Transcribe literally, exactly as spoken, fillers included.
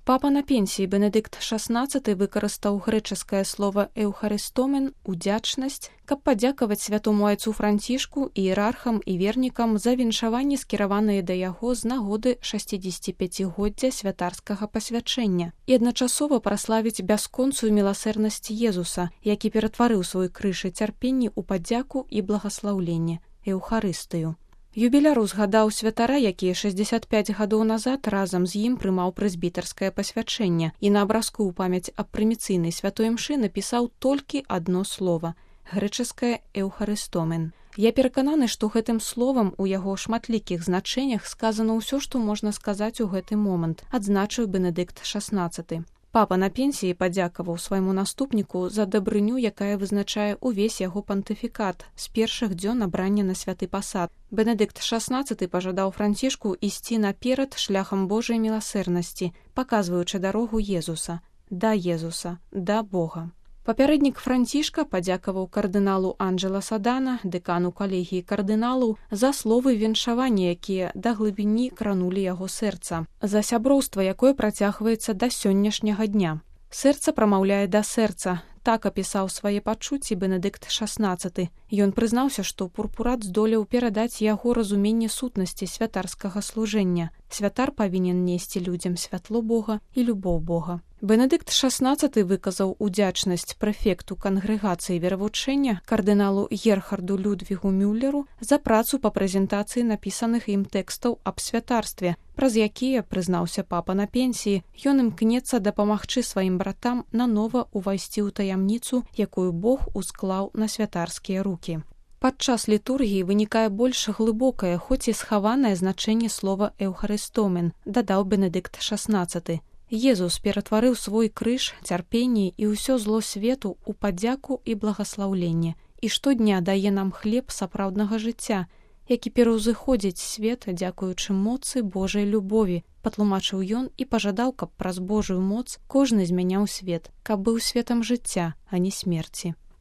Папа на пенсіі Бенедыкт шаснаццаты выкарыстаў грэчаскае слова «эўхарыстомен» – «удзячнасць», каб падзякаваць святому айцу Францішку, іерархам і вернікам за віншаванні, скіраваныя да яго з нагоды шасцідзесяціпяцігоддзя святарскага пасвячэння, і адначасова праславіць бясконцую міласэрнасць Езуса, які ператварыў свой крыж і цярпенні ў падзяку і благаслаўленне – эўхарыстыю. Юбіляр узгадаў святара, які шэсцьдзесят пяць гадоў назад разам з ім прымаў прэзбітарскае пасвячэнне і на абразку ў памяць аб прыміцыйнай святой імшы напісаў толькі адно слова – грэчаскае «эўхарыстомен». Я перакананы, што гэтым словам у яго шматлікіх значэннях сказана ўсё, што можна сказаць у гэты момант, адзначыў Бенедыкт шаснаццаты. Папа на пенсіі падзякаваў свайму наступніку за дабрыню, якая вызначае ўвесь яго пантыфікат з першых дзён абрання на святы пасад. Бенедыкт шаснаццаты пажадаў Францішку ісці наперад шляхам Божай міласэрнасці, паказваючы дарогу Езуса, да Езуса, да Бога. Папярэднік Францішка падзякаваў кардыналу Анджэла Садана, дэкану калегіі кардыналаў, за словы віншавання, якія да глыбіні кранулі яго сэрца, за сяброўства, якое працягваецца да сённяшняга дня. Сэрца прамаўляе да сэрца. Так апісаў свае пачуцці Бенедыкт шаснаццаты. Ён прызнаўся, што пурпурат здолеў перадаць яго разуменне сутнасці святарскага служэння. Святар павінен несці людзям святло Бога і любоў Бога. Бенедыкт шаснаццаты выказаў удзячнасць прэфекту кангрэгацыі веравучэння кардыналу Герхарду Людвігу Мюллеру за працу па прэзентацыі напісаных ім тэкстаў аб святарстве, праз якія, прызнаўся папа на пенсіі, ён імкнецца дапамагчы сваім братам нанова ўвайсці ў таямніцу, якую Бог усклаў на святарскія рукі. Падчас літургіі вынікае больш глыбокае, хоць і схаванае значэнне слова «эўхарыстомен», дадаў Бенедыкт шаснаццаты. Езус ператварыў свой крыж, цярпенне і ўсё зло свету ў падзяку і благаслаўленне, і штодня дае нам хлеб сапраўднага жыцця, які пераўзыходзіць свет, дзякуючы моцы Божай любові, патлумачыў ён і пажадаў, каб праз Божую моц кожны змяняў свет, каб быў светам жыцця, а не смерці.